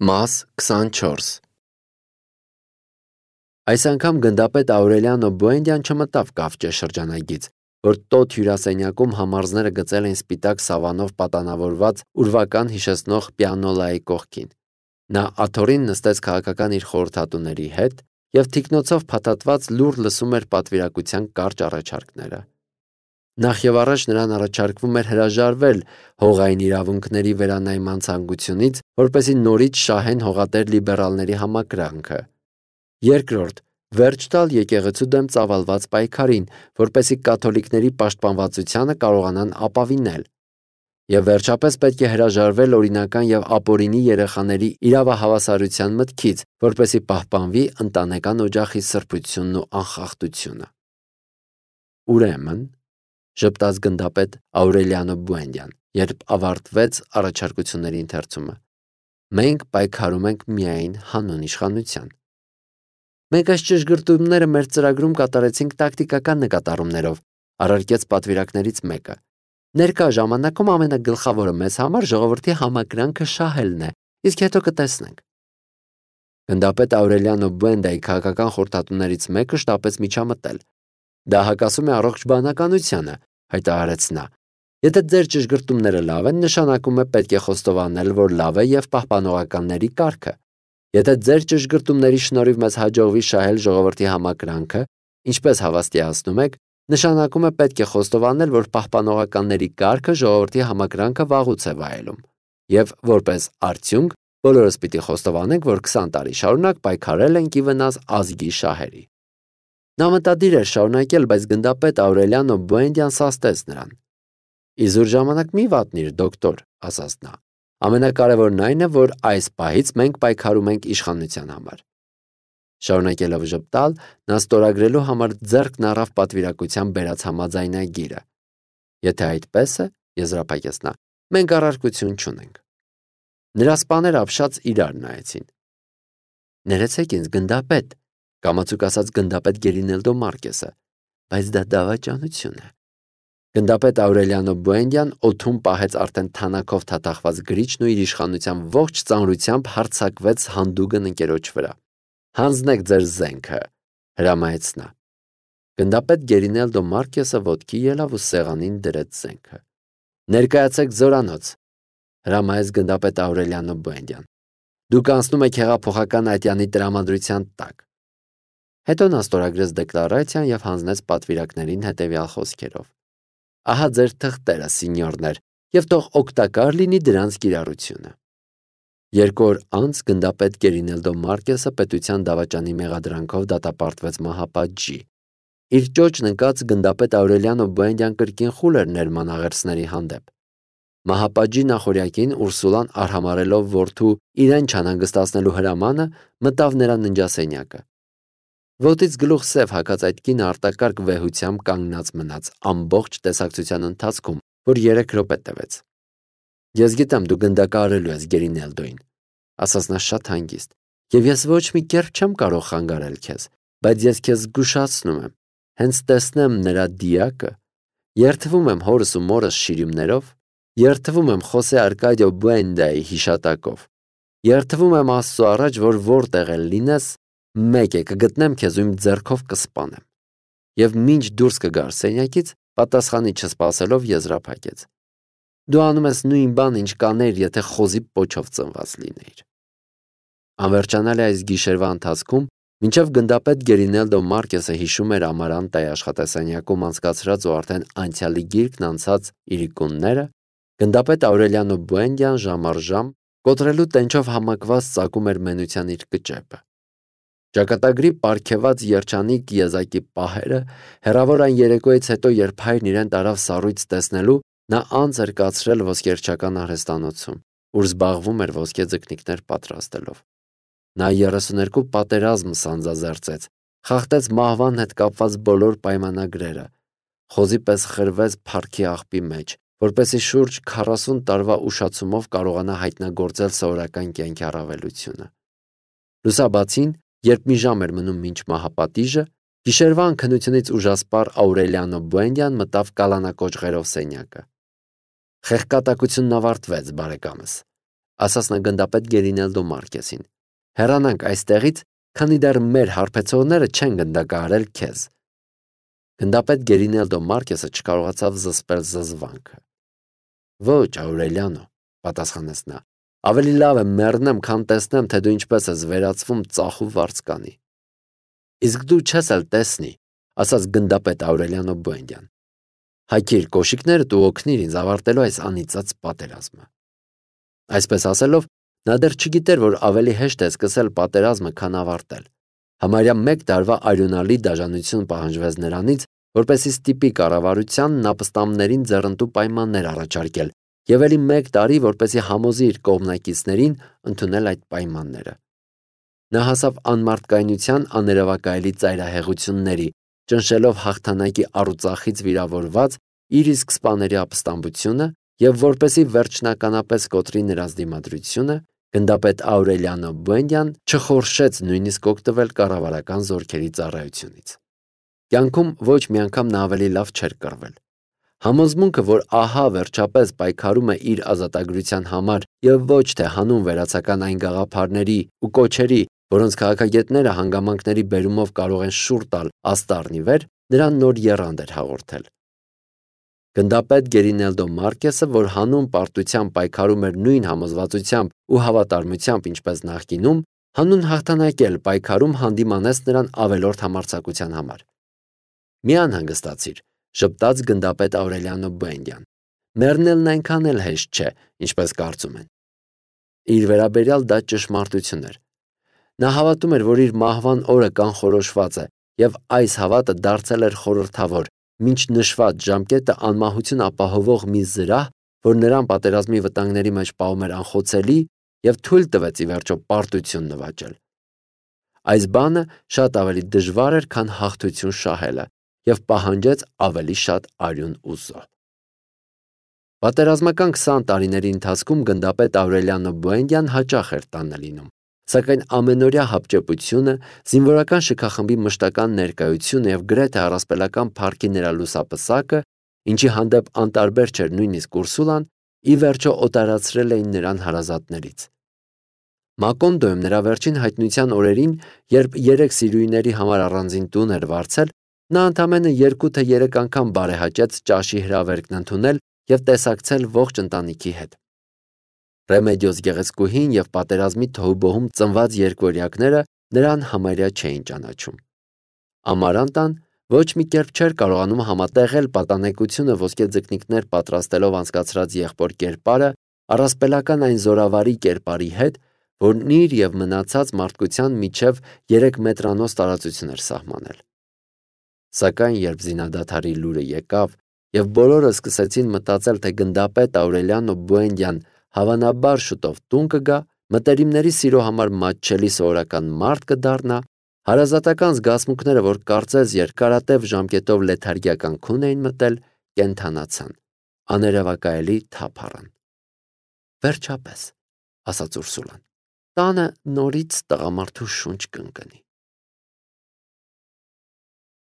Մաս 24 Այս անգամ գնդապետ Աուրելիանո Բուենդյան չմտավ կավճե շրջանագից, որ տոտ հյուրասենյակում համարզները գծել են սպիտակ սավանով պատանավորված ուրվական հիշեցնող պիանոլայի կողքին։ Նա աթոռին նստեց քաղաքական իր խորհրդատուների հետ և թիկնոցով փաթաթված լուռ լսում էր պատվիրակության կարճ առաջարկները։ Նախ եւ առաջ նրան առաջարկվում էր հրաժարվել հողային իրավունքների վերանայման ցանկությունից, որպեսզի նորից շահեն հողատեր լիբերալների համակրանքը։ Երկրորդ, վերջ տալ եկեղեցու դեմ ծավալված պայքարին, որպեսզի կաթոլիկների պաշտպանվածությանը կարողանան ապավինել։ Եվ վերջապես պետք է հրաժարվել օրինական եւ ապօրինի երեխաների իրավահավասարության մտքից, որպեսզի պահպանվի ընտանեկան օջախի սրբությունն ու անխախտությունը։ Ուրեմն, ժպտաց գնդապետ Աուրելիանո Բուենդյան, երբ ավարտվեց առաջարկությունների ընթերցումը, մենք պայքարում ենք միայն հանուն իշխանության։ Մենք այս ճշգրտումները մեր ծրագրում կատարեցինք տակտիկական նկատառումներով, առարկեց պատվիրակներից մեկը։ Ներկա ժամանակում ամենագլխավորը մեզ համար ժողովրդի համակրանքը շահելն է, իսկ հետո կտեսնենք։ Գնդապետ Աուրելիանո Բուենդայի քաղաքական խորհրդատուներից մեկը շտապեց միջամտել։ Դա հակասում է առողջ բանականությանը, հայտարարեց նա։ Եթե ձեր ճշգրտումները լավ են, նշանակում է պետք է խոստովանել, որ լավ է եւ պահպանողականների կարգը։ Եթե ձեր ճշգրտումների շնորհիվ մեզ հաջողվի շահել ժողովրդի համակրանքը, ինչպես հավաստիացնում եք, նշանակում է պետք է խոստովանել, որ պահպանողականների կարգը ժողովրդի համակրանքը վաղուց է վայելում։ Եվ որպես արդյունք, բոլորս պիտի խոստովանենք, որ 20 տարի շարունակ պայքարել ենք ի վնաս ազգի շահերի։ Նա մտադիր էր շարունակել, բայց գնդապետ Աուրելիանո Բուենդյան սաստեց նրան։ Իզուր ժամանակ մի վատնիր, դոկտոր, ասաց նա։ Ամենակարևորն այն է, որ այս պահից մենք պայքարում ենք իշխանության համար։ Շարունակելով ժպտալ, նա ստորագրելու համար ձեռքն առավ պատվիրակության բերած համաձայնագիրը։ Եթե այդպես է, եզրափակեց նա, մենք առարկություն չունենք։ Նրա սպաները ապշած իրար նայեցին։ Ներեցեք ինձ, գնդապետ, կամացուկ ասաց գնդապետ Գերինելդո Մարկեսը, բայց դա դավաճանություն է։ Գնդապետ Աուրելիանո Բուենդյան օդում պահեց արդեն թանաքով թաթախված գրիչն ու իր իշխանության ողջ ծանրությամբ հարձակվեց հանդուգն ընկերոջ վրա։ Հանձնեք ձեր զենքը, հրամայեց նա։ Գնդապետ Գերինելդո Մարկեսը ոտքի ելավ ու սեղանին դրեց զենքը։ Ներկայացեք զորանոց, հրամայեց գնդապետ Աուրելիանո Բուենդյան։ Դուք անցնում եք հեղափոխական ատյանի տրամադրության տակ։ Հետո նա ստորագրեց դեկլարացիան եւ հանձնեց պատվիրակներին հետեւյալ խոսքերով. Ահա ձեր թղթերը, սինյորներ, եւ թող օգտակար լինի դրանց կիրառությունը։ 2 օր անց գնդապետ Գերինելդո Մարկեսը պետության դավաճանի մեղադրանքով դատապարտվեց մահապատժի։ Իր ճոճն ընկած գնդապետ Աուրելիանո Բուենդյան կրկին խուլ էր ներմանաղերցների հանդեպ։ Մահապատժի նախորյակին Ուրսուլան արհամարելով որդու իրեն չանհանգստացնելու հրամանը մտավ նրա ննջասենյակը։ Ոտից գլուխ սև հագած այդ կինը արտակարգ վեհությամբ կանգնած մնաց ամբողջ տեսակցության ընթացքում, որ 3 րոպե տևեց։ Ես գիտեմ դու գնդակահարելու ես Գերինելդոին, ասաց նա շատ հանգիստ, եւ ես ոչ մի կերպ չեմ կարող խանգարել քեզ, բայց ես քեզ զգուշացնում եմ, հենց տեսնեմ նրա դիակը, երդվում եմ հորս ու մորս շիրիմներով, երդվում եմ Խոսե Արկադիո Բուենդայի հիշատակով, երդվում եմ Աստծո առաջ, որ որտեղ էլ լինես, մեկ է կգտնեմ քեզ ու իմ ձեռքով կսպանեմ։ Եվ մինչ դուրս կգար սենյակից, պատասխանի չսպասելով եզրափակեց։ Դու անում ես նույն բանը, ինչ կանեիր, եթե խոզի պոչով ծնված լինեիր։ Անվերջանալի այս գիշերվա ընթացքում, մինչև գնդապետ Գերինելդո Մարկեսը հիշում էր Ամարանտայի աշխատասենյակում անցկացրած ու արդեն անցյալի գիրկն անցած իրիկունները, գնդապետ Աուրելիանո Բուենդյան ժամ առ ժամ կոտրելու տենչով համակված ծակում էր մենության իր կճեպը։ Ճակատագրի պարգևած երջանիկ եզակի պահերը, հեռավոր այն երեկոյից հետո, երբ հայրն իրեն տարավ սառույց տեսնելու, նա անց էր կացրել ոսկերչական արհեստանոցում, ուր զբաղվում էր ոսկե ձկնիկներ պատրաստելով։ Նա 32 պատերազմ սանձազերծեց, խախտեց մահվան հետ կապված բոլոր պայմանագրերը, խոզի պես խրվեց փառքի աղբի մեջ, որպեսզի շուրջ 40 տարվա ուշացումով կարողանա հայտնագործել սովորական կյանքի առավելությունը։ Լուսաբացին, երբ մի ժամ էր մնում մինչ մահապատիժը, գիշերվա անքնությունից ուժասպառ Աուրելիանո Բուենդյան մտավ կալանակոճղերով սենյակը։ Խեղկատակությունն ավարտվեց, բարեկամս, ասաց նա գնդապետ Գերինելդո Մարկեսին։ Հեռանանք այստեղից, քանի դեռ մեր հարբեցողները չեն գնդակահարել քեզ։ Գնդապետ Գերինելդո Մարկեսը չկարողացավ զսպել զզվանքը։ Ոչ, Աուրելիանո, պատասխանեց նա, ավելի լավ է մեռնեմ, քան տեսնեմ, թե դու ինչպես ես վերածվում ծախու վարձկանի։ Իսկ դու չես էլ տեսնի, ասաց գնդապետ Աուրելիանո Բուենդյան։ Հայքիր կոշիկներդ ու օգնիր ինձ ավարտելու այս անիծած պատերազմը։ Այսպես ասելով, նա դեռ չգիտեր, որ ավելի հեշտ է սկսել պատերազմը, քան ավարտել։ Համարյա 1 տարվա արյունալի դաժանություն պահանջվեց նրանից, որպեսզի ստիպի կառավարությանն ապստամբներին ձեռնտու պայմաններ առաջարկել, եւ ելի 1 տարի, որպեսզի համոզի իր կողմնակիցներին ընդունել այդ պայմանները։ Նա հասավ անմարդկայնության աներևակայելի ծայրահեղությունների, ճնշելով հաղթանակի առուծախից վիրավորված իր իսկ սպաների ապստամբությունը եւ որպեսզի վերջնականապես կոտրի նրանց դիմադրությունը, գնդապետ Աուրելիանո Բուենդյան չխորշեց նույնիսկ օգտվել կառավարական զորքերի ծառայությունից։ Կյանքում ոչ մի անգամ նա ավելի լավ չէր կռվել։ Համոզմունքը, որ ահա վերջապես պայքարում է իր ազատագրության համար եւ ոչ թե հանուն վերացական այն գաղափարների ու կոչերի, որոնց քաղաքագետները հանգամանքների բերումով կարող են շուռ տալ աստառնի վեր, նրան նոր եռանդ էր հաղորդել։ Գնդապետ Գերինելդո Մարկեսը, որ հանուն պարտության պայքարում էր նույն համոզվածությամբ ու հավատարմությամբ, ինչպես նախկինում, հանուն հաղթանակել պայքարում հանդիմանեց նրան ավելորդ համարձակության համար։ Մի անհանգստացիր, ժպտաց գնդապետ Աուրելիանո Բուենդյան։ Մեռնելն այնքան էլ հեշտ չէ, ինչպես կարծում են։ Իր վերաբերյալ դա ճշմարտություն էր։ Նա հավատում էր, որ իր մահվան օրը կանխորոշված է, եւ այս հավատը դարձել էր խորհրդավոր, մինչ նշված ժամկետը անմահություն ապահովող մի զրահ, որ նրան պատերազմի վտանգների մեջ պահում էր անխոցելի եւ թույլ տվեց ի վերջո պարտություն նվաճել։ Այս բանը շատ ավելի դժվար էր, քան հաղթություն շահելը եւ պահանջեց ավելի շատ արյուն ու զոհ։ Պատերազմական 20 տարիների ընթացքում գնդապետ Աուրելիանո Բուենդյան հաճախ էր տանը լինում, սակայն ամենօրյա հապճեպությունը, զինվորական շքախմբի մշտական ներկայությունը եւ գրեթե առասպելական փառքի նրա լուսապսակը, ինչի հանդեպ անտարբեր չէր նույնիսկ Ուրսուլան, ի վերջո օտարացրել էին նրան հարազատներից։ Մակոնդոյում նրա վերջին հայտնության օրերին, երբ 3 սիրուհիների համար առանձին տուն էր վարձել, նա ընդամենը 2 թե 3 անգամ բարեհաճեց ճաշի հրավերքն ընդունել եւ տեսակցել ողջ ընտանիքի հետ։ Ռեմեդիոս գեղեցկուհին եւ պատերազմի թոհուբոհում ծնված երկվորյակները նրան համարյա չէին ճանաչում։ Ամարանտան ոչ մի կերպ չէր կարողանում համատեղել պատանեկությունը ոսկե ձկնիկներ պատրաստելով անցկացրած եղբոր կերպարը առասպելական այն զորավարի կերպարի հետ, որն իր եւ մնացած մարդկության միջև 3 մետրանոց տարածություն էր սահմանել։ Սակայն երբ զինադադարի լուրը եկավ եւ բոլորը սկսեցին մտածել, թե գնդապետ Աուրելիանո Բուենդյան հավանաբար շուտով տուն կգա, մտերիմների սիրո համար մատչելի սովորական մարդ կդառնա, հարազատական զգացմունքները, որ կարծես երկարատև ժամկետով լեթարգիական քուն էին մտել, կենթանացան, աներևակայելի թափ առան։ Վերջապես, ասաց Ուրսուլան, տանը նորից տղամարդու շունչ կընկնի։